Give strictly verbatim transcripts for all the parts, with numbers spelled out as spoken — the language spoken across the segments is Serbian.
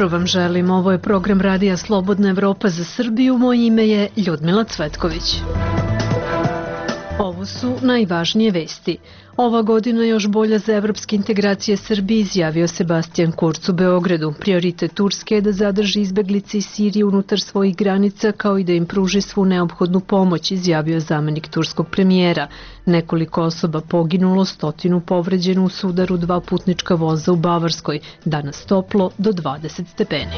jutro vam želim. Ovo je program Radija Slobodna Evropa za Srbiju. Moje ime je Ljudmila Cvetković. Ovo su najvažnije vesti. Ova godina još bolja za evropske integracije Srbije, izjavio Sebastian Kurz u Beogradu. Prioritet Turske je da zadrži izbeglice iz Sirije unutar svojih granica, kao i da im pruži svu neophodnu pomoć, izjavio zamenik turskog premijera. Nekoliko osoba poginulo, stotinu povređeno u sudaru dva putnička voza u Bavarskoj. Danas toplo do dvadeset stepeni.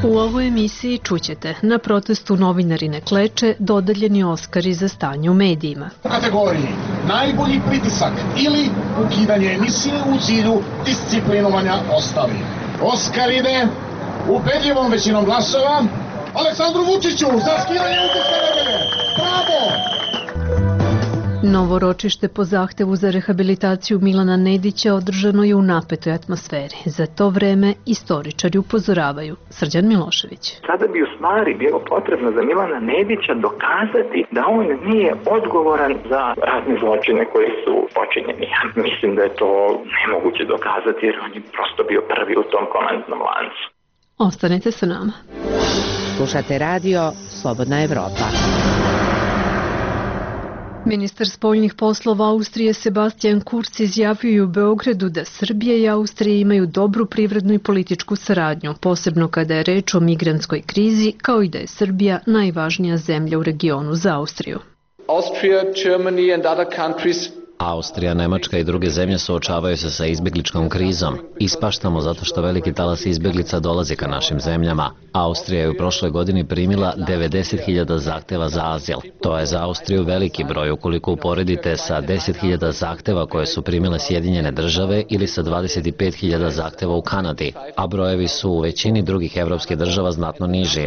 U ovoj emisiji čućete: na protestu novinari ne kleče, dodeljeni Oskari za stanje u medijima. U kategoriji najbolji pritisak ili ukidanje emisije u cilju disciplinovanja ostalih. Oskar ide ubedljivom većinom glasova Aleksandru Vučiću za skidanje utiska nedelje. Bravo! Novo ročište po zahtevu za rehabilitaciju Milana Nedića održano je u napetoj atmosferi. Za to vreme istoričari upozoravaju. Srđan Milošević. Sada bi u stvari bilo potrebno za Milana Nedića dokazati da on nije odgovoran za razne zločine koji su počinjeni. Mislim da je to nemoguće dokazati jer on je prosto bio prvi u tom komandnom lancu. Ostanite sa nama. Slušate radio Slobodna Evropa. Ministar spoljnih poslova Austrije Sebastian Kurz izjavio u Beogradu da Srbija i Austrija imaju dobru privrednu i političku saradnju, posebno kada je reč o migrantskoj krizi, kao i da je Srbija najvažnija zemlja u regionu za Austriju. Austria, Germany and other countries Austrija, Nemačka i druge zemlje suočavaju se sa izbjegličkom krizom. Ispaštamo zato što veliki talas izbjeglica dolazi ka našim zemljama. Austrija je u prošloj godini primila devedeset hiljada zahteva za azil. To je za Austriju veliki broj ukoliko uporedite sa deset hiljada zahteva koje su primile Sjedinjene države ili sa dvadeset pet hiljada zahteva u Kanadi, a brojevi su u većini drugih evropskih država znatno niži.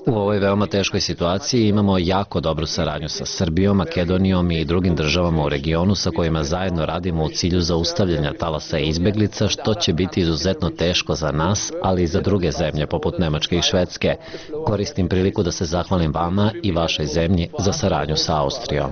U ovoj veoma teškoj situaciji imamo jako dobru saradnju sa Srbijom, Makedonijom i drugim državama u regionu sa kojima zajedno radimo u cilju zaustavljanja talasa izbeglica, što će biti izuzetno teško za nas, ali i za druge zemlje poput Nemačke i Švedske. Koristim priliku da se zahvalim vama i vašoj zemlji za saradnju sa Austrijom.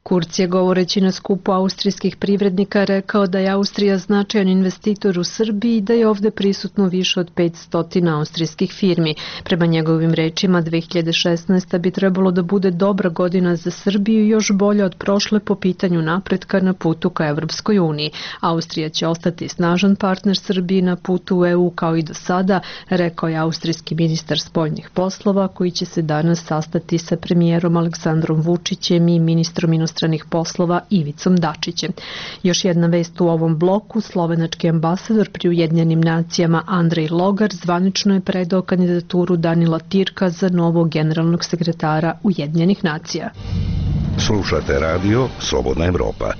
Kurz je, govoreći na skupu austrijskih privrednika, rekao da je Austrija značajan investitor u Srbiji i da je ovde prisutno više od petsto austrijskih firmi. Prema njegovim rečima, dve hiljade šesnaesta. bi trebalo da bude dobra godina za Srbiju i još bolja od prošle po pitanju napretka na putu ka Evropskoj uniji. Austrija će ostati snažan partner Srbiji na putu u E U kao i do sada, rekao je austrijski ministar spoljnih poslova, koji će se danas sastati sa premijerom Aleksandrom Vučićem i ministrom inostranih stranih poslova Ivicom Dačićem. Još jedna vest u ovom bloku: slovenački ambasador pri Ujedinjenim nacijama Andrej Logar zvanično je predao kandidaturu Danila Tirka za novog generalnog sekretara Ujedinjenih nacija. Slušate radio Slobodna Evropa.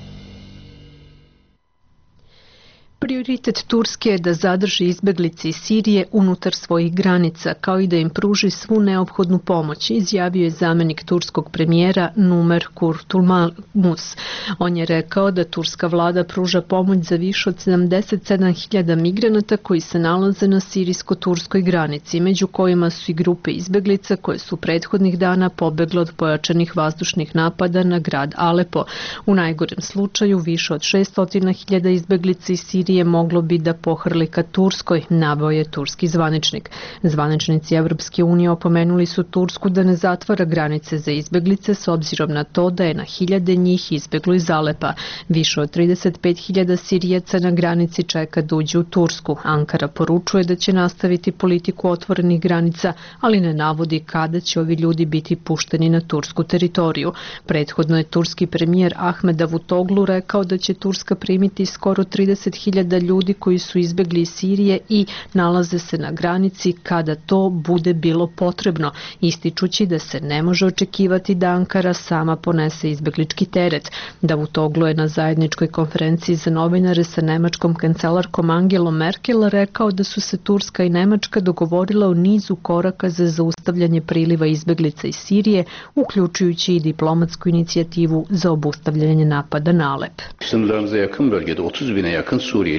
Prioritet Turske je da zadrži izbeglice iz Sirije unutar svojih granica, kao i da im pruži svu neophodnu pomoć, izjavio je zamenik turskog premijera Numer Kurtulmus. On je rekao da turska vlada pruža pomoć za više od sedamdeset sedam hiljada migranata koji se nalaze na sirijsko-turskoj granici, među kojima su i grupe izbeglica koje su prethodnih dana pobegle od pojačanih vazdušnih napada na grad Alepo. U najgorem slučaju više od šesto hiljada izbeglica iz Sirije moglo bi da pohrli ka Turskoj, naveo je turski zvaničnik. Zvaničnici Evropske unije opomenuli su Tursku da ne zatvara granice za izbeglice s obzirom na to da je na hiljade njih izbeglo iz Alepa. Više od trideset pet hiljada Sirijaca na granici čeka da uđe u Tursku. Ankara poručuje da će nastaviti politiku otvorenih granica, ali ne navodi kada će ovi ljudi biti pušteni na tursku teritoriju. Prethodno je turski premijer Ahmed Davutoglu rekao da će Turska primiti skoro trideset hiljada ljudi koji su izbegli iz Sirije i nalaze se na granici kada to bude bilo potrebno, ističući da se ne može očekivati da Ankara sama ponese izbeglički teret. Davutoglu je na zajedničkoj konferenciji za novinare sa nemačkom kancelarkom Angelom Merkel rekao da su se Turska i Nemačka dogovorile o nizu koraka za zaustavljanje priliva izbeglica iz Sirije, uključujući i diplomatsku inicijativu za obustavljanje napada na Alep. Sınırlarımıza yakın bölgede otuz bine yakın Suriyeli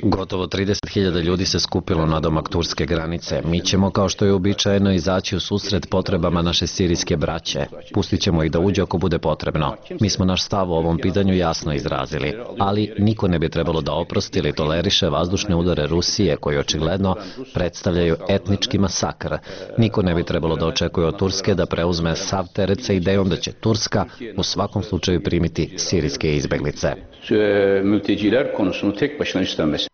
Gotovo trideset hiljada ljudi se skupilo nadomak turske granice. Mi ćemo, kao što je uobičajeno, izaći u susret potrebama naše sirijske braće. Pustit ćemo ih da uđe ako bude potrebno. Mi smo naš stav o ovom pitanju jasno izrazili. Ali niko ne bi trebalo da oprosti ili toleriše vazdušne udare Rusije, koji očigledno predstavljaju etnički masakr. Niko ne bi trebalo da očekuje od Turske da preuzme sav teret sa idejom da će Turska u svakom slučaju primiti sirijske izbeglice. Mülteciler konusunu tek başına üstlenmesi.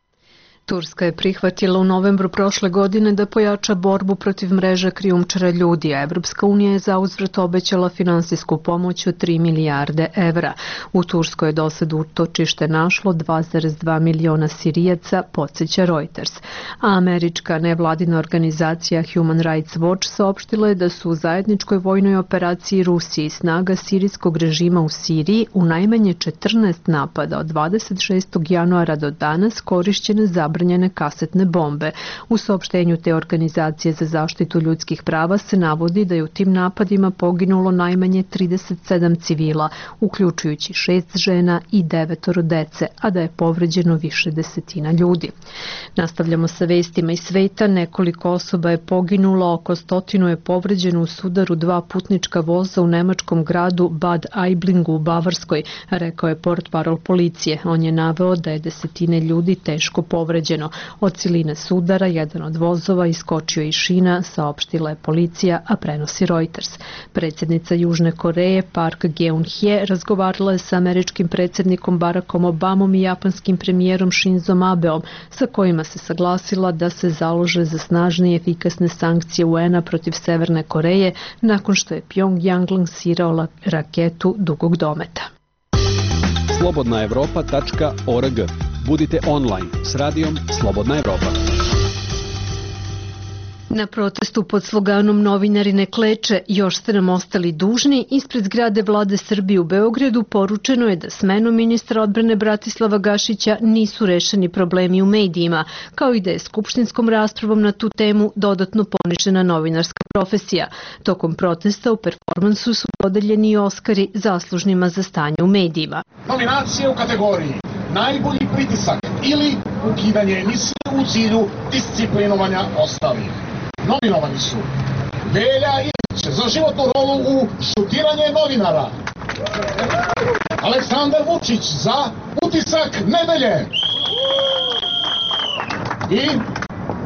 Turska je prihvatila u novembru prošle godine da pojača borbu protiv mreže krijumčara ljudi, a Evropska unija je zauzvrat obećala finansijsku pomoć od tri milijarde evra. U Turskoj je dosad utočište našlo dva zarez dva miliona Sirijaca, podsjeća Reuters. A američka nevladina organizacija Human Rights Watch saopštila je da su u zajedničkoj vojnoj operaciji Rusije i snaga sirijskog režima u Siriji u najmanje četrnaest napada od dvadeset šestog januara do danas korišćene zabranjene kasetne bombe. U saopštenju te organizacije za zaštitu ljudskih prava se navodi da je u tim napadima poginulo najmanje trideset sedam civila, uključujući šest žena i devetoro dece, a da je povređeno više desetina ljudi. Nastavljamo sa vestima iz sveta. Nekoliko osoba je poginulo, oko stotinu je povređeno u sudaru dva putnička voza u nemačkom gradu Bad Aiblingu u Bavarskoj, rekao je portparol policije. On je naveo da je desetine ljudi teško povređeno. Od siline sudara jedan od vozova iskočio iz šina, saopštila je policija, a prenosi Reuters. Predsjednica Južne Koreje Park Geun-hye razgovarala je sa američkim predsjednikom Barackom Obamom i japanskim premijerom Shinzom Abeom, sa kojima se saglasila da se založe za snažne i efikasne sankcije U N-a protiv Severne Koreje nakon što je Pyongyang lansirao raketu dugog dometa. slobodna evropa tačka org. Budite online s radijom Slobodna Evropa. Na protestu pod sloganom Novinari ne kleče, još ste nam ostali dužni, ispred zgrade Vlade Srbije u Beogradu poručeno je da smenom ministra odbrane Bratislava Gašića nisu rešeni problemi u medijima, kao i da je skupštinskom raspravom na tu temu dodatno ponižena novinarska profesija. Tokom protesta u performansu su podeljeni i Oskari zaslužnima za stanje u medijima. Nominacije u kategoriji najbolji pritisak ili ukidanje emisije u cilju disciplinovanja ostalih. Nominovani su Velja Ilić za životnu rolu u šutiranje novinara, Aleksandar Vučić za utisak nedelje i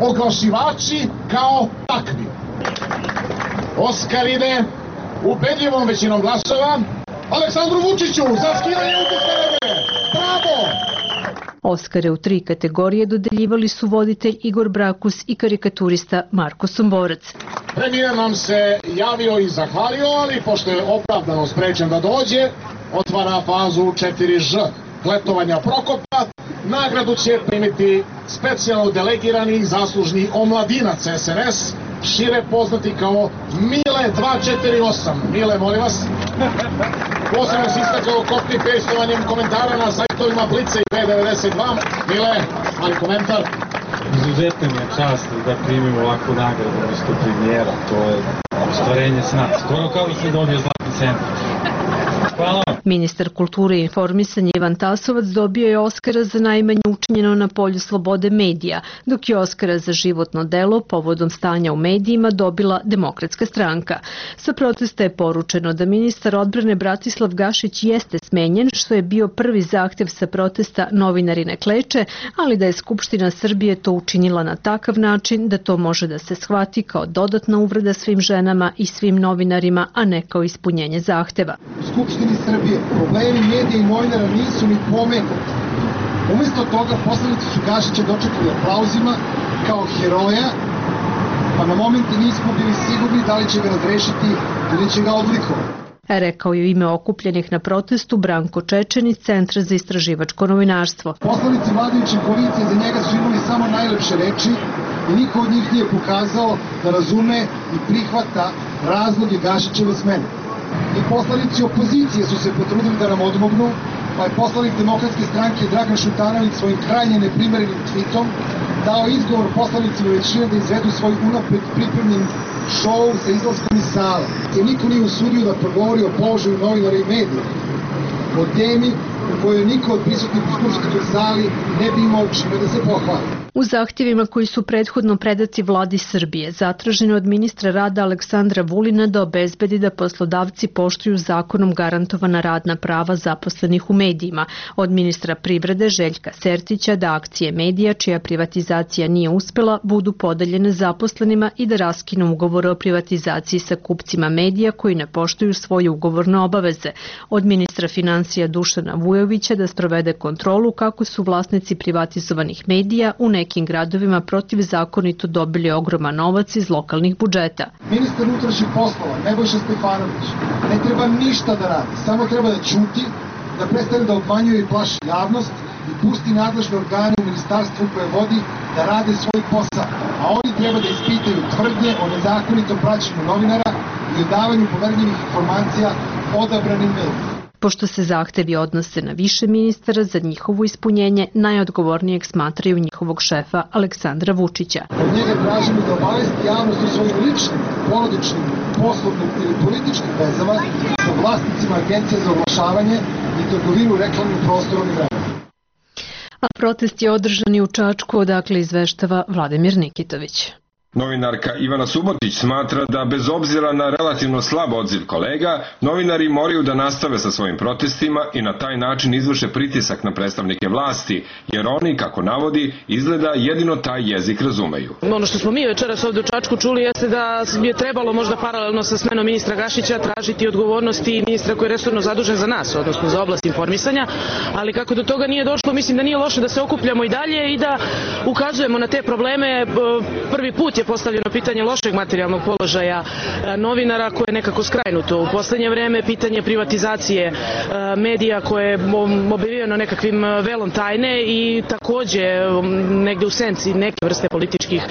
oglašivači kao takvi. Oskar ide ubedljivom većinom glasova Aleksandru Vučiću za skidanje utiska nedelje. Bravo! Oskare u tri kategorije dodeljivali su voditelj Igor Brakus i karikaturista Marko Somborac. Premijer nam se javio i zahvalio, ali pošto je opravdano sprečen da dođe, otvara fazu četiri Ž kletovanja Prokopa. Nagradu će primiti specijalno delegirani zaslužni omladinac S N S, šire poznati kao Mile dva četiri osam. Mile, molim vas. Posebno se istakao copy-pastovanjem komentara na sajtovima Blica i B devedeset dva. Mile, ali komentar. Izuzetno mi je čast da primim ovakvu nagradu umesto premijera. To je ostvarenje sna. Skoro kao da se dobije zlatni centar. Hvala. Ministar kulture i informisanja Ivan Tasovac dobio je Oskara za najmanje učinjeno na polju slobode medija, dok je Oskara za životno delo povodom stanja u medijima dobila Demokratska stranka. Sa protesta je poručeno da ministar odbrane Bratislav Gašić jeste smenjen, što je bio prvi zahtev sa protesta Novinari ne kleče, ali da je Skupština Srbije to učinila na takav način da to može da se shvati kao dodatna uvreda svim ženama i svim novinarima, a ne kao ispunjenje zahteva. Skupštini Srbije problemi medija i novinara nisu ni pomenuti. Umesto toga poslanici su Gašića dočekali aplauzima kao heroja, pa na momente nismo bili sigurni da li će ga razrešiti ili će ga odlikovati. Rekao je u ime okupljenih na protestu Branko Čečen iz Centra za istraživačko novinarstvo. Poslanici vladajuće koalicije za njega su imali samo najlepše reči i niko od njih nije pokazao da razume i prihvata razloge Gašićeve smene. I poslanici opozicije su se potrudili da nam odmognu, pa je poslanik Demokratske stranke Dragan Šutanović svojim krajnje neprimerenim tweetom dao izgovor poslanicima većine da izvedu svoj unapred pripremljen šou sa izlaskom iz sala. Se niko nije usudio da progovori o položaju novinara i medija, o temi u kojoj niko od prisutnih u skupštinskoj sali ne bi imao čime da se pohvali. U zahtjevima koji su prethodno predati vladi Srbije, zatraženo od ministra rada Aleksandra Vulina da obezbedi da poslodavci poštuju zakonom garantovana radna prava zaposlenih u medijima, od ministra privrede Željka Sertića da akcije medija čija privatizacija nije uspela budu podeljene zaposlenima i da raskinu ugovore o privatizaciji sa kupcima medija koji ne poštuju svoje ugovorne obaveze, od ministra financija Dušana Vujovića da sprovede kontrolu kako su vlasnici privatizovanih medija u nekim gradovima protivzakonito dobili ogroman novac iz lokalnih budžeta. Ministar unutrašnjih poslova Nebojša Stefanović ne treba ništa da radi, samo treba da ćuti, da prestane da obmanjuje i plaši javnost i pusti nadležne organe u ministarstvu koje vodi da rade svoj posao, a oni treba da ispitaju tvrdnje o nezakonitom praćenju novinara i o davanju poverljivih informacija odabranim medijima. Pošto se zahtevi odnose na više ministara, za njihovo ispunjenje najodgovornijeg smatraju njihovog šefa Aleksandra Vučića. Od njega tražimo da obavesti javnost o svojim ličnim, porodičnim, poslovnim ili političkim vezama sa vlasnicima Agencije za oglašavanje i trgovinu reklamnim prostorom i vremenom. A protest je održan i u Čačku, odakle izveštava Vladimir Nikitović. Novinarka Ivana Subotić smatra da bez obzira na relativno slab odziv kolega, novinari moraju da nastave sa svojim protestima i na taj način izvrše pritisak na predstavnike vlasti, jer oni, kako navodi, izgleda jedino taj jezik razumeju. Ono što smo mi večeras ovdje u Čačku čuli jeste da je trebalo možda paralelno sa smenom ministra Gašića tražiti odgovornosti ministra koji je resorno zadužen za nas, odnosno za oblast informisanja, ali kako do toga nije došlo, mislim da nije loše da se okupljamo i dalje i da ukazujemo na te probleme. Prvi put je postavljeno pitanje lošeg materijalnog položaja novinara koje je nekako skrajnuto u poslednje vreme, pitanje privatizacije medija koje je obavijeno nekakvim velom tajne i takođe negde u senci neke vrste političkih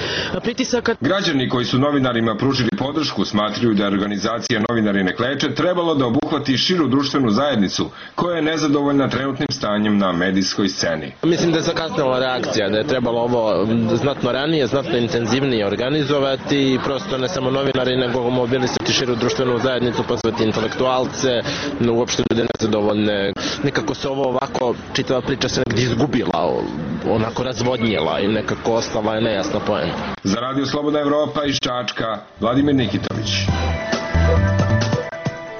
pritisaka. Građani koji su novinarima pružili podršku smatraju da organizacija Novinari ne kleče trebalo da obuhvati širu društvenu zajednicu koja je nezadovoljna trenutnim stanjem na medijskoj sceni. Mislim da je zakasnila reakcija, da je trebalo ovo znatno ranije, znatno intenzivnije organizovati i prosto ne samo novinari nego mobilisati širu društvenu zajednicu, pozvati intelektualce, uopšte ljude nezadovoljne. Nekako se ovo ovako, čitava priča se negdje izgubila, onako razvodnjela i nekako ostala je nejasna poenta. Za Radio Slobodna Evropa iz Čačka, Vladimir Nikitović.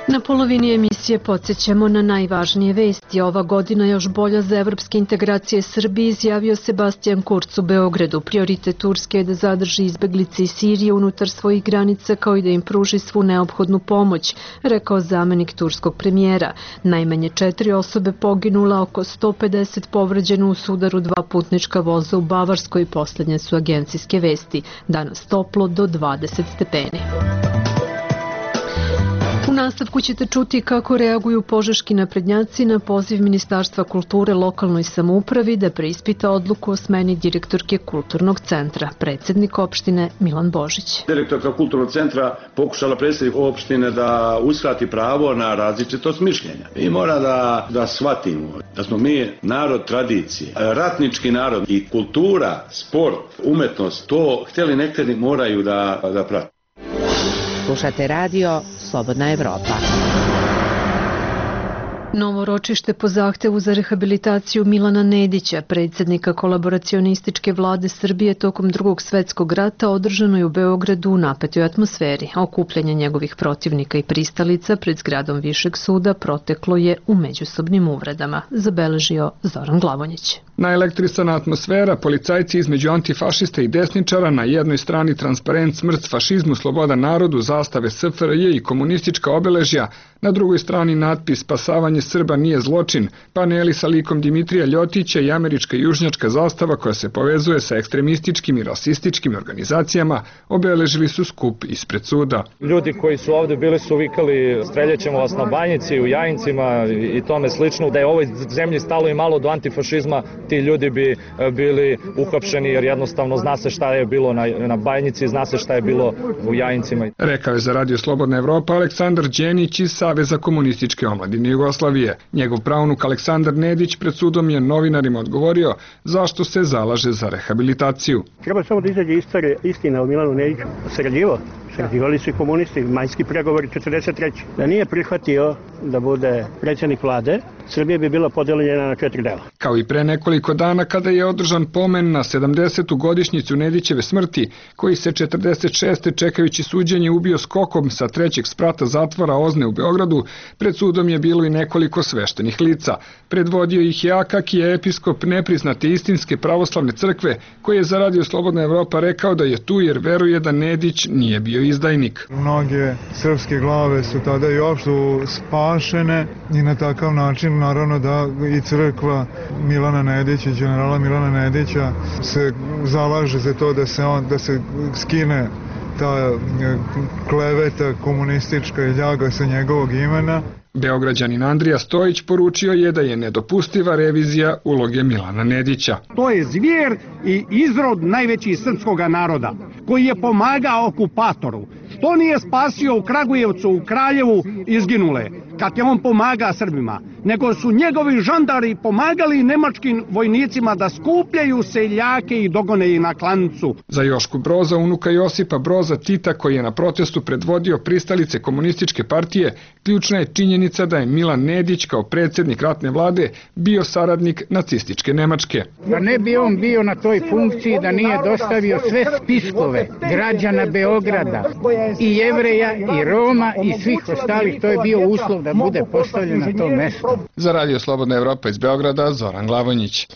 Na polovini emisije podsjećamo na najvažnije vesti. Ova godina još bolja za evropske integracije Srbije, izjavio Sebastian Kurz u Beogradu. Prioritet Turske je da zadrži izbeglice iz Sirije unutar svojih granica kao i da im pruži svu neophodnu pomoć, rekao zamenik turskog premijera. Najmanje četiri osobe poginula, oko sto pedeset povređeno u sudaru dva putnička voza u Bavarskoj. Poslednje su agencijske vesti. Danas toplo do dvadeset stepeni. U nastavku ćete čuti kako reaguju požeški naprednjaci na poziv Ministarstva kulture lokalnoj samoupravi da preispita odluku o smeni direktorke Kulturnog centra. Predsednik opštine Milan Božić. Direktorka Kulturnog centra pokušala predsednik opštine da uskrati pravo na različitost mišljenja. I mora da, da shvatimo da smo mi narod tradicije, ratnički narod i kultura, sport, umetnost, to htjeli ne htjeli moraju da, da prate. Slušate radio Slobodna Evropa. Novo ročište po zahtevu za rehabilitaciju Milana Nedića, predsjednika kolaboracionističke vlade Srbije tokom drugog svetskog rata, održano je u Beogradu u napetoj atmosferi. Okupljanje njegovih protivnika i pristalica pred zgradom Višeg suda proteklo je u međusobnim uvredama, zabeležio Zoran Glavonjić. Naelektrisana atmosfera, policajci između antifašista i desničara, na jednoj strani transparent smrt fašizmu, sloboda narodu, zastave S F R J i komunistička obeležja, na drugoj strani natpis Spasavanje Srba nije zločin, paneli sa likom Dimitrija Ljotića i američka južnjačka zastava koja se povezuje sa ekstremističkim i rasističkim organizacijama obeležili su skup ispred suda. Ljudi koji su ovde bili su vikali streljaćemo vas na Banjici, u Jajincima i tome slično. Da je ovoj zemlji stalo i malo do antifašizma, ti ljudi bi bili uhapšeni jer jednostavno zna se šta je bilo na, na Banjici, zna se šta je bilo u Jajincima. Rekao je za Radio Slobodna Evropa Aleksandar Đenić iz Saveza komunističke omladine Jugoslavije. Njegov pravnuk Aleksandar Nedić pred sudom je novinarima odgovorio zašto se zalaže za rehabilitaciju. Treba samo da izađe istina o Milanu Nediću. Sarađivo Sređivali su i komunisti, majski pregovori četrdeset treće Da nije prihvatio da bude predsjednik vlade, Srbija bi bila podeljena na četiri dela. Kao i pre nekoliko dana kada je održan pomen na sedamdesetu godišnjicu Nedićeve smrti, koji se četrdeset šeste čekajući suđenje ubio skokom sa trećeg sprata zatvora Ozne u Beogradu, pred sudom je bilo i nekoliko sveštenih lica. Predvodio ih je Akakije, episkop nepriznate istinske pravoslavne crkve, koji je za Radio Slobodna Evropa rekao da je tu jer veruje da Nedić nije bio izdajnik. Mnoge srpske glave su tada i uopšte spašene i na takav način naravno da i crkva Milana Nedića, generala Milana Nedića se zalaže za to da se on da se skine ta kleveta komunistička i ljaga sa njegovog imena. Beograđanin Andrija Stojić poručio je da je nedopustiva revizija uloge Milana Nedića. To je zvjer i izrod najvećih srpskog naroda, koji je pomagao okupatoru. Što nije spasio u Kragujevcu, u Kraljevu izginule, kad je on pomaga Srbima, nego su njegovi žandari pomagali nemačkim vojnicima da skupljaju seljake i dogone ih na klancu. Za Jošku Broza, unuka Josipa Broza Tita, koji je na protestu predvodio pristalice komunističke partije, ključna je činjenica da je Milan Nedić kao predsjednik ratne vlade bio saradnik nacističke Nemačke. Da ne bi on bio na toj funkciji da nije dostavio sve spiskove građana Beograda, i Jevreja, i Roma, i svih ostalih, to je bio uslov da bude postavljen na to mesto. Za Radio Slobodna Evropa iz Beograda, Zoran Glavonjić.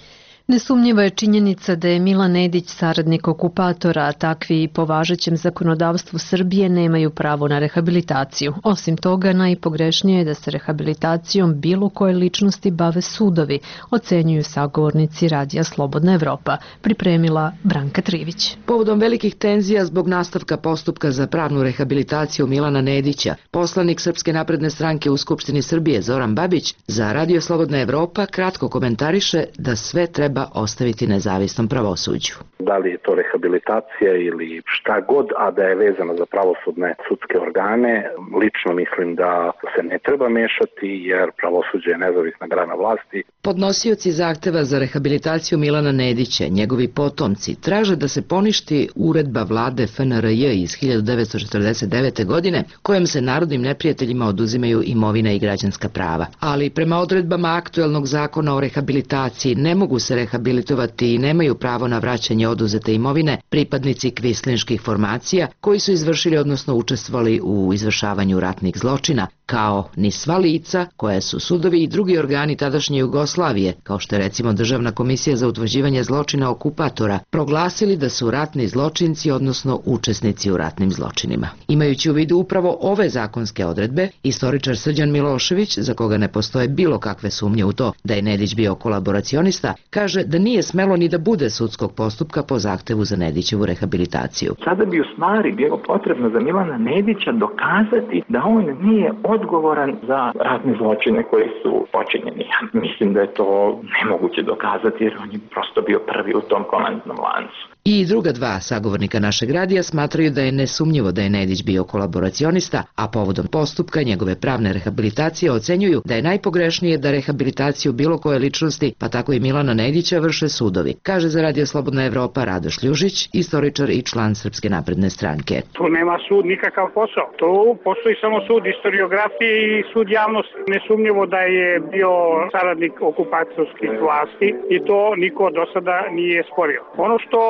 Nesumnjiva je činjenica da je Milan Nedić saradnik okupatora, a takvi i po važećem zakonodavstvu Srbije nemaju pravo na rehabilitaciju. Osim toga, najpogrešnije je da se rehabilitacijom bilo koje ličnosti bave sudovi, ocenjuju sagovornici Radija Slobodna Evropa, pripremila Branka Trivić. Povodom velikih tenzija zbog nastavka postupka za pravnu rehabilitaciju Milana Nedića, poslanik Srpske napredne stranke u Skupštini Srbije Zoran Babić za Radio Slobodna Evropa kratko komentariše da sve treba ostaviti nezavisnom pravosuđu. Da li je to rehabilitacija ili šta god, a da je vezano za pravosudne sudske organe, lično mislim da se ne treba mešati jer pravosuđe je nezavisna grana vlasti. Podnosioci zahteva za rehabilitaciju Milana Nedića, njegovi potomci, traže da se poništi uredba vlade F N R J iz hiljadu devetsto četrdeset devete. godine, kojom se narodnim neprijateljima oduzimaju imovina i građanska prava. Ali prema odredbama aktuelnog zakona o rehabilitaciji ne mogu se rehabilitovati i nemaju pravo na vraćanje oduzete imovine pripadnici kvislinških formacija koji su izvršili odnosno učestvovali u izvršavanju ratnih zločina, kao ni sva lica koje su sudovi i drugi organi tadašnje Jugoslavije, kao što je recimo Državna komisija za utvrđivanje zločina okupatora, proglasili da su ratni zločinci odnosno učesnici u ratnim zločinima. Imajući u vidu upravo ove zakonske odredbe, istoričar Srđan Milošević, za koga ne postoje bilo kakve sumnje u to da je Nedić bio kolaboracionista, kaže da nije smelo ni da bude sudskog postupka po zahtevu za Nedićevu rehabilitaciju. Sada bi u stvari bilo potrebno za Milana Nedića dokazati da on nije odgovoran za ratne zločine koji su počinjeni. Mislim da je to nemoguće dokazati jer on je prosto bio prvi u tom komandnom lancu. I druga dva sagovornika našeg radija smatraju da je nesumnjivo da je Nedić bio kolaboracionista, a povodom postupka njegove pravne rehabilitacije ocenjuju da je najpogrešnije da rehabilitaciju bilo koje ličnosti, pa tako i Milana Nedića, vrše sudovi, kaže za Radio Slobodna Evropa Radoš Ljužić, istoričar i član Srpske napredne stranke. Tu nema sud nikakav posao. Tu postoji samo sud historiografije i sud javnosti. Nesumnjivo da je bio saradnik okupacijskih vlasti i to niko do sada nije sporio. Ono što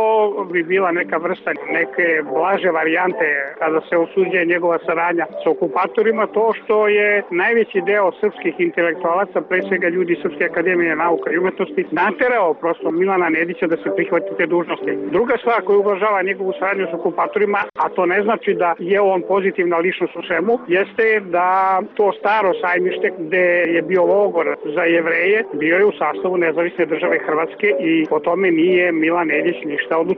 bi bila neka vrsta neke blaže varijante kada se osuđuje njegova saradnja sa okupatorima, to što je najveći deo srpskih intelektualaca, pre svega ljudi Srpske akademije nauka i umetnosti, naterao prosto Milana Nedića da se prihvati te dužnosti. Druga stvar koja ublažava njegovu saradnju sa okupatorima, a to ne znači da je on pozitivna ličnost u svemu, jeste da to staro sajmište gde je bio logor za Jevreje, bio je u sastavu nezavisne države Hrvatske i po tome nije Milan Nedić ništa odlučio.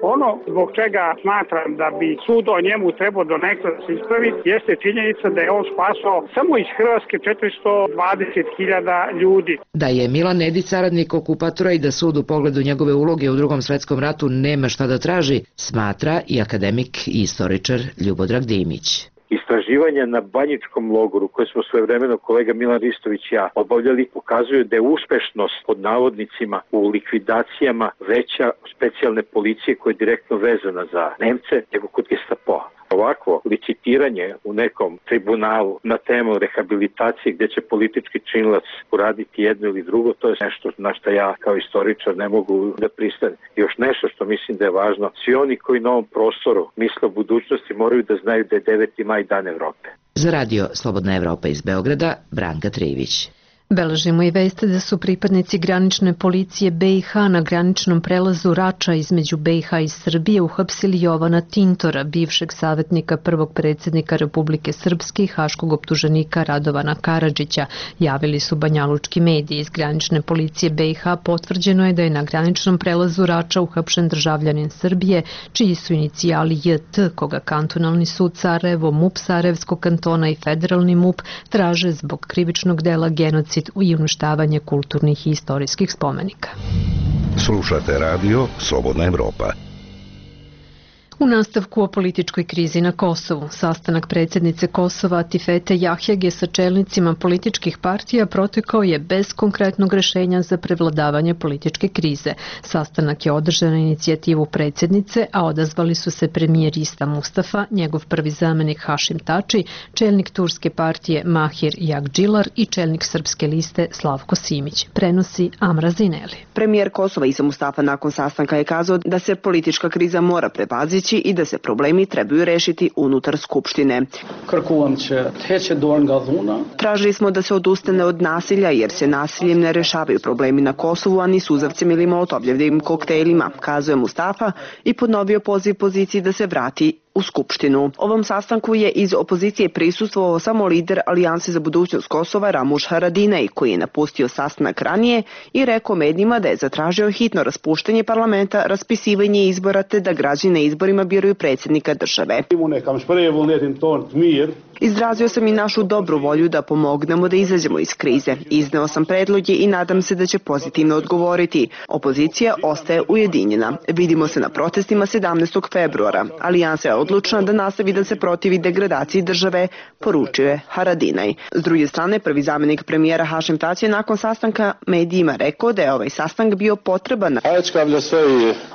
Ono zbog čega smatram da bi sud o njemu trebao do nekada da se ispravi jeste činjenica da je on spasao samo iz Hrvatske četiristo dvadeset hiljada ljudi. Da je Milan Nedić saradnik okupatora i da sud u pogledu njegove uloge u Drugom svetskom ratu nema šta da traži, smatra i akademik i istoričar Ljubodrag Dimić. Istraživanja na Banjičkom logoru koje smo svojevremeno kolega Milan Ristović i ja obavljali pokazuju da je uspešnost pod navodnicima u likvidacijama veća specijalne policije koja je direktno vezana za Nemce nego kod Gestapoa. Ovako licitiranje u nekom tribunalu na temu rehabilitacije gdje će politički činilac uraditi jedno ili drugo, to je nešto na što ja kao istoričar ne mogu da pristanem. Još nešto što mislim da je važno, svi oni koji na ovom prostoru misle o budućnosti moraju da znaju da je deveti maj dan Evrope. Za radio Slobodna Evropa iz Beograda, Branka Trivić. Beležimo i veste da su pripadnici granične policije B i H na graničnom prelazu Rača između B i H i Srbije uhapsili Jovana Tintora, bivšeg savjetnika prvog predsjednika Republike Srpske i haškog optuženika Radovana Karadžića, javili su banjalučki mediji. Iz granične policije B i H potvrđeno je da je na graničnom prelazu Rača uhapšen državljanin Srbije, čiji su inicijali J T, koga kantonalni sud Sarajevo, MUP Sarajevskog kantona i federalni MUP traže zbog krivičnog dela genocid i uništavanje kulturnih i istorijskih spomenika. Slušate radio Slobodna Evropa. U nastavku o političkoj krizi na Kosovu, sastanak predsjednice Kosova Atifete Jahjage sa čelnicima političkih partija protekao je bez konkretnog rešenja za prevladavanje političke krize. Sastanak je održan na inicijativu predsjednice, a odazvali su se premijer Ista Mustafa, njegov prvi zamenik Hašim Tači, čelnik turske partije Mahir Jagdžilar i čelnik srpske liste Slavko Simić. Prenosi Amra Zineli. Premijer Kosova Isa Mustafa nakon sastanka je kazao da se politička kriza mora prevazići i da se problemi trebaju rešiti unutar Skupštine. Tražili smo da se odustane od nasilja jer se nasiljem ne rešavaju problemi na Kosovu, a ni suzavcem ili molotovljevim koktejlima, kazuje Mustafa i ponovio poziv poziciji da se vrati u Skupštinu. Ovom sastanku je iz opozicije prisustvovao samo lider Alijanse za budućnost Kosova Ramuš Haradinaj, koji je napustio sastanak ranije i rekao medijima da je zatražio hitno raspuštanje parlamenta, raspisivanje izbora te da građani na izborima biraju predsjednika države. Izrazio sam i našu dobru volju da pomognemo da izađemo iz krize. Izneo sam predloge i nadam se da će pozitivno odgovoriti. Opozicija ostaje ujedinjena. Vidimo se na protestima sedamnaestog februara. Alijansa je odlučna da nastavi da se protivi degradaciji države, poručuje Haradinaj. S druge strane, prvi zamenik premijera Hašim Tači je nakon sastanka medijima rekao da je ovaj sastanak bio potreban.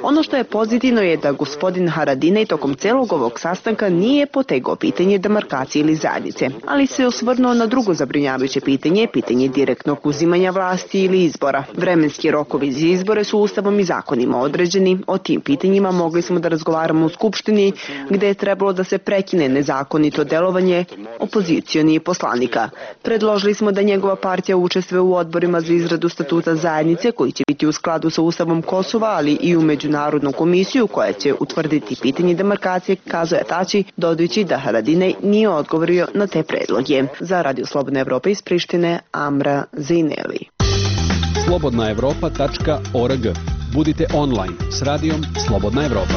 Ono što je pozitivno je da gospodin Haradinaj tokom celog ovog sastanka nije potegao pitanje demarkacije ili zajednice, ali se osvrnuo na drugo zabrinjavajuće pitanje, pitanje direktnog uzimanja vlasti ili izbora. Vremenski rokovi za izbore su ustavom i zakonima određeni. O tim pitanjima mogli smo da razgovaramo u Skupštini, gde je trebalo da se prekine nezakonito delovanje opozicijonih poslanika. Predložili smo da njegova partija učestvuje u odborima za izradu statuta zajednice, koji će biti u skladu sa Ustavom Kosova, ali i u Međunarodnu komisiju koja će utvrditi pitanje demarkacije, kazuje Tači, dodajući da Haradinaj nije odgovorio na te predloge. Za Radio Slobodna Evropa iz Prištine, Amra Zineli. slobodna evropa tačka org. Budite online s radijom Slobodna Evropa.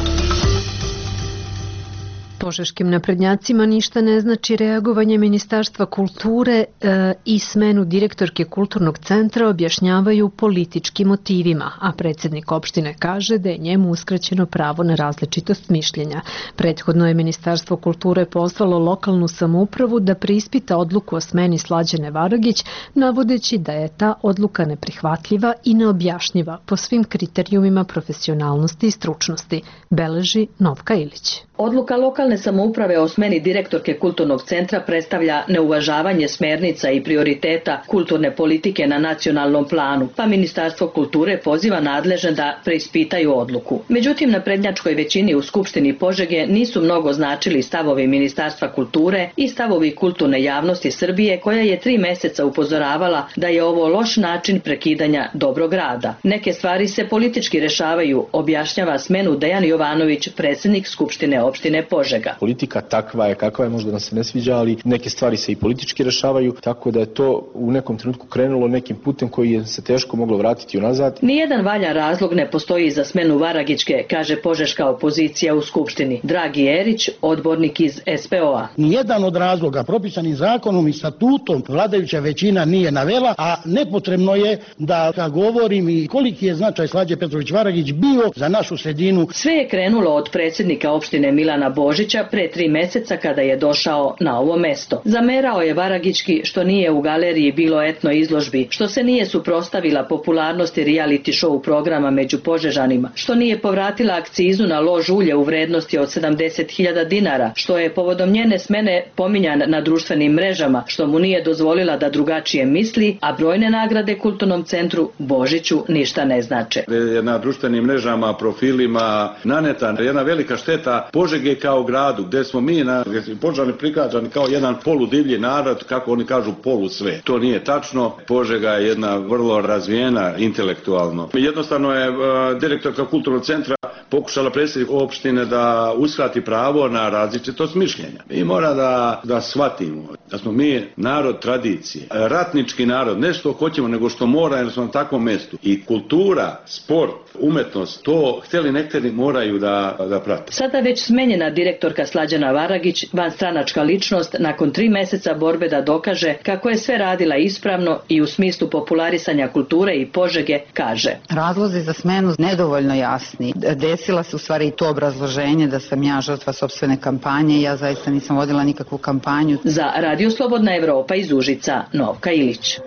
Požeškim naprednjacima ništa ne znači reagovanje Ministarstva kulture e, i smenu direktorke Kulturnog centra objašnjavaju političkim motivima, a predsjednik opštine kaže da je njemu uskraćeno pravo na različitost mišljenja. Prethodno je Ministarstvo kulture pozvalo lokalnu samoupravu da preispita odluku o smeni Slađane Varagić, navodeći da je ta odluka neprihvatljiva i neobjašnjiva po svim kriterijumima profesionalnosti i stručnosti, beleži Novka Ilić. Odluka lokalne samouprave o smeni direktorke Kulturnog centra predstavlja neuvažavanje smernica i prioriteta kulturne politike na nacionalnom planu, pa Ministarstvo kulture poziva nadležne da preispitaju odluku. Međutim, na prednjačkoj većini u Skupštini Požege nisu mnogo značili stavovi Ministarstva kulture i stavovi kulturne javnosti Srbije, koja je tri meseca upozoravala da je ovo loš način prekidanja dobrog rada. Neke stvari se politički rešavaju, objašnjava smenu Dejan Jovanović, predsjednik Skupštine opštine Požega. Politika takva je kakva je, možda nam se ne sviđa, ali neke stvari se i politički rešavaju, tako da je to u nekom trenutku krenulo nekim putem koji je se teško moglo vratiti unazad. Nijedan valjan razlog ne postoji za smenu Varagićke, kaže požeška opozicija u Skupštini. Dragi Erić, odbornik iz S P O A. Nijedan od razloga propisanim zakonom i statutom vladajuća većina nije navela, a nepotrebno je da govorim i koliki je značaj Slađe Petrović Varagić bio za našu sredinu. Sve je krenulo od predsjednika opštine Milana Božića pre tri meseca kada je došao na ovo mesto. Zamerao je Varagićki što nije u galeriji bilo etno izložbi, što se nije suprotstavila popularnosti reality show programa među Požežanima, što nije povratila akcizu na lož ulje u vrednosti od sedamdeset hiljada dinara, što je povodom njene smene pominjan na društvenim mrežama, što mu nije dozvolila da drugačije misli, a brojne nagrade Kulturnom centru Božiću ništa ne znače. Na društvenim mrežama, profilima naneta jedna velika šteta Požege kao gradu, gde smo mi na Požani prikazani kao jedan poludivlji narod, kako oni kažu polu sve. To nije tačno. Požega je jedna vrlo razvijena intelektualno. Jednostavno je uh, direktorka Kulturnog centra pokušala predsjednik opštine da uskrati pravo na različitost mišljenja. Mi mora da, da shvatimo da smo mi narod tradicije, ratnički narod, ne što hoćemo, nego što mora, jer smo na takvom mestu. I kultura, sport, umetnost, to htjeli nekteri moraju da, da prate. Sada već smenjena direktorka Slađana Varagić, vanstranačka ličnost, nakon tri meseca borbe da dokaže kako je sve radila ispravno i u smislu popularisanja kulture i Požege, kaže. Razlozi za smenu nedovoljno jasni. Desila se u stvari i to obrazloženje da sam ja žrtva sopstvene kampanje i ja zaista nisam vodila nikakvu kampanju. Za Radio Slobodna Evropa iz Užica, Novka Ilić.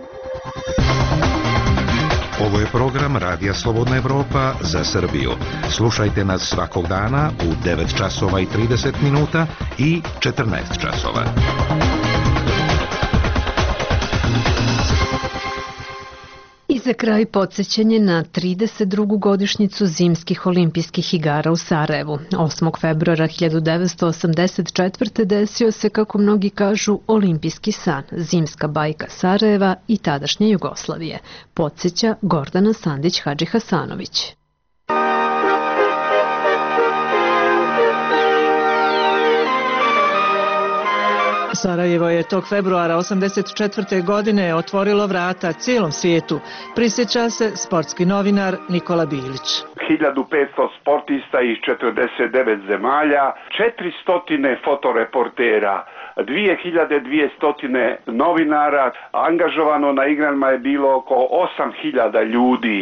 Ovo je program Radija Slobodna Evropa za Srbiju. Slušajte nas svakog dana u devet časova i trideset minuta i četrnaest časova. I za kraj podsjećanje na trideset drugu godišnjicu Zimskih olimpijskih igara u Sarajevu. osmog februara hiljadu devetsto osamdeset četvrte. desio se, kako mnogi kažu, olimpijski san, zimska bajka Sarajeva i tadašnje Jugoslavije. Podsjeća Gordana Sandić-Hadžihasanović. Sarajevo je tog februara osamdeset četvrte. godine otvorilo vrata cijelom svijetu, prisjeća se sportski novinar Nikola Bilić. hiljadu petsto sportista iz četrdeset devet zemalja, četiristo fotoreportera, dvije hiljade dvjesto novinara, angažovano na igrama je bilo oko osam hiljada ljudi.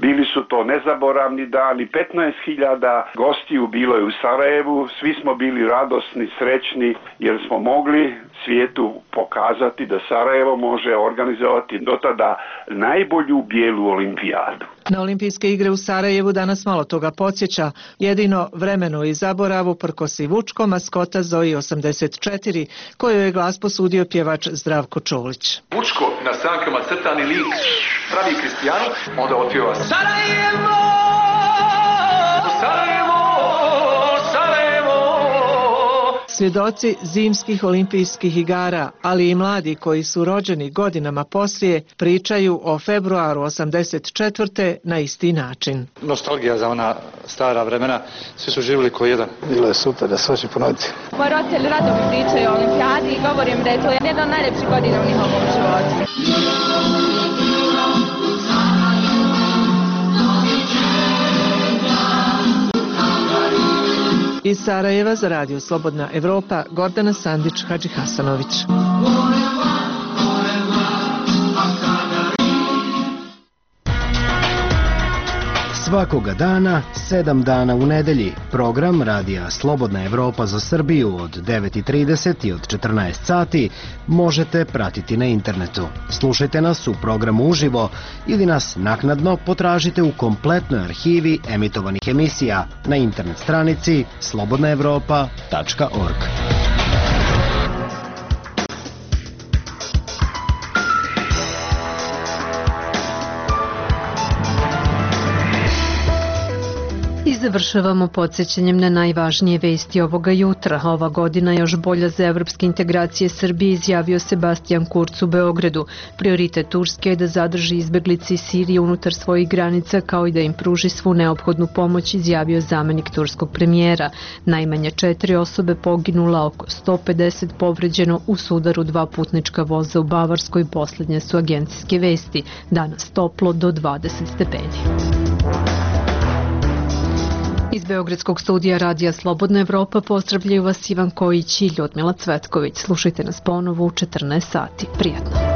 Bili su to nezaboravni dani, petnaest hiljada gostiju bilo je u Sarajevu, svi smo bili radosni, srećni jer smo mogli svijetu pokazati da Sarajevo može organizovati do tada najbolju bijelu olimpijadu. Na olimpijske igre u Sarajevu danas malo toga podsjeća, jedino vremenu i zaboravu prkosi Vučko, maskota Zoji osamdeset četiri, koju je glas posudio pjevač Zdravko Čolić. Vučko na strankama crtani lik pravi Kristijanu, onda otpjeva Sarajevo, Sarajevo, Sarajevo. Svjedoci zimskih olimpijskih igara, ali i mladi koji su rođeni godinama poslije, pričaju o februaru osamdeset četvrte. na isti način. Nostalgija za ona stara vremena, svi su živjeli ko jedan. Bilo je super da se hoće ponoviti. Moji roditelji rado mi pričaju o olimpijadi i govorim da je to jedna od najljepših godina u njihovom životu. Iz Sarajeva za Radio Slobodna Evropa, Gordana Sandić-Hadžihasanović. Svakoga dana, sedam dana u nedelji, program Radija Slobodna Evropa za Srbiju od devet i trideset i od četrnaest sati možete pratiti na internetu. Slušajte nas u programu uživo ili nas naknadno potražite u kompletnoj arhivi emitovanih emisija na internet stranici slobodna evropa tačka org. I završavamo podsjećanjem na najvažnije vesti ovoga jutra. Ova godina još bolja za evropske integracije Srbije, izjavio Sebastian Kurz u Beogradu. Prioritet Turske je da zadrži izbeglice iz Sirije unutar svojih granica, kao i da im pruži svu neophodnu pomoć, izjavio zamenik turskog premijera. Najmanje četiri osobe poginula, oko sto pedeset povređeno u sudaru dva putnička voza u Bavarskoj. Posljednje su agencijske vesti. Danas toplo do dvadeset stepeni. Iz Beogradskog studija Radija Slobodna Evropa pozdravljaju vas Ivan Kojić i Ljudmila Cvetković. Slušajte nas ponovo u četrnaest sati. Prijatno.